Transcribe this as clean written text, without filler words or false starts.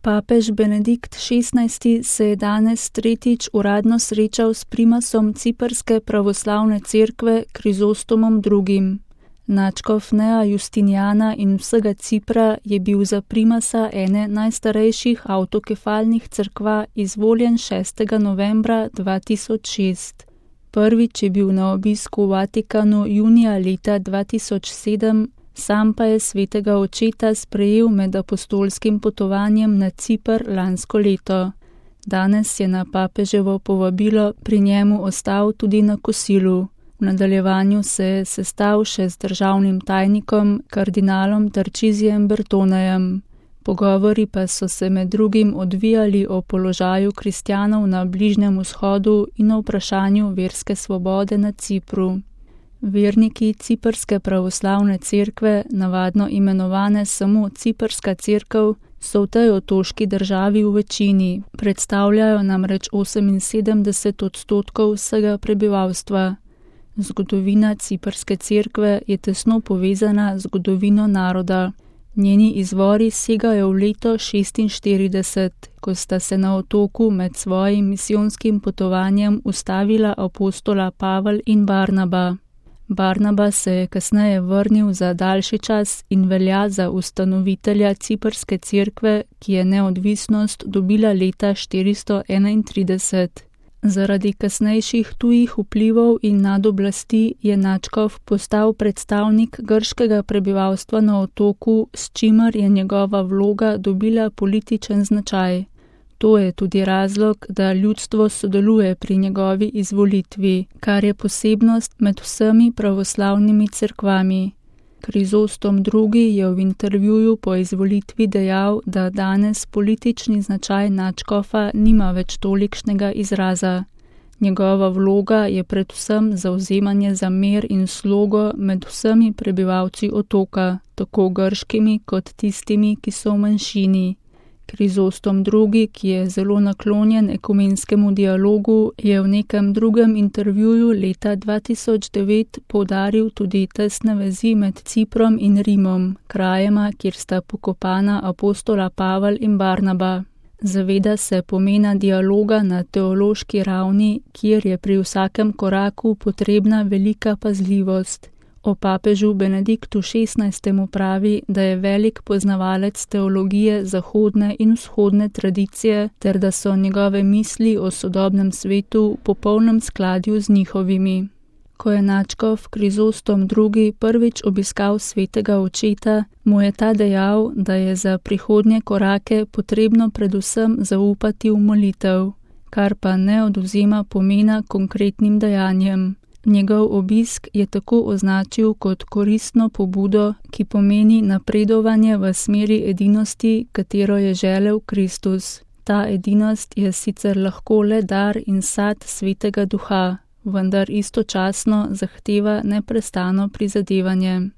Papež Benedikt XVI se je danes tretjič uradno srečal s primasom ciprske pravoslavne cerkve Krizostomom II. Nadškof Nea Justiniana in vsega Cipra je bil za primasa ene najstarejših avtokefalnih cerkva izvoljen 6. novembra 2006. Prvič je bil na obisku v Vatikanu junija leta 2007, sam pa je svetega očeta sprejel med apostolskim potovanjem na Cipr lansko leto. Danes je na papeževo povabilo pri njemu ostal tudi na kosilu. V nadaljevanju se je sestal še z državnim tajnikom, kardinalom Tarčizijem Bertonejem. Pogovori pa so se med drugim odvijali o položaju kristjanov na Bližnjem vzhodu in o vprašanju verske svobode na Cipru. Verniki Ciprske pravoslavne cerkve, navadno imenovane samo Ciprska cerkev, so v tej otoški državi v večini, predstavljajo namreč 78% vsega prebivalstva. Zgodovina Ciprske cerkve je tesno povezana z zgodovino naroda. Njeni izvori segajo v leto 46, ko sta se na otoku med svojim misijonskim potovanjem ustavila apostola Pavel in Barnaba. Barnaba se je kasneje vrnil za daljši čas in velja za ustanovitelja Ciprske cerkve, ki je neodvisnost dobila leta 431. Zaradi kasnejših tujih vplivov in nadoblasti je nadškof postal predstavnik grškega prebivalstva na otoku, s čimer je njegova vloga dobila političen značaj. To je tudi razlog, da ljudstvo sodeluje pri njegovi izvolitvi, kar je posebnost med vsemi pravoslavnimi cerkvami. Krizostom II. Je v intervjuju po izvolitvi dejal, da danes politični značaj nadškofa nima več tolikšnega izraza. Njegova vloga je predvsem zavzemanje za mir in slogo med vsemi prebivalci otoka, tako grškimi kot tistimi, ki so v manjšini. Krizostom II., ki je zelo naklonjen ekumenskemu dialogu, je v nekem drugem intervjuju leta 2009 poudaril tudi tesne vezi med Ciprom in Rimom, krajema, kjer sta pokopana apostola Pavel in Barnaba. Zaveda se pomena dialoga na teološki ravni, kjer je pri vsakem koraku potrebna velika pazljivost. O papežu Benediktu XVI. Pravi, da je velik poznavalec teologije zahodne in vzhodne tradicije ter da so njegove misli o sodobnem svetu v popolnem skladju z njihovimi. Ko je nadškof Krizostom II. Prvič obiskal svetega očeta, mu je ta dejal, da je za prihodnje korake potrebno predvsem zaupati v molitev, kar pa ne odvzema pomena konkretnim dejanjem. Njegov obisk je tako označil kot koristno pobudo, ki pomeni napredovanje v smeri edinosti, katero je želel Kristus. Ta edinost je sicer lahko le dar in sad Svetega Duha, vendar istočasno zahteva neprestano prizadevanje.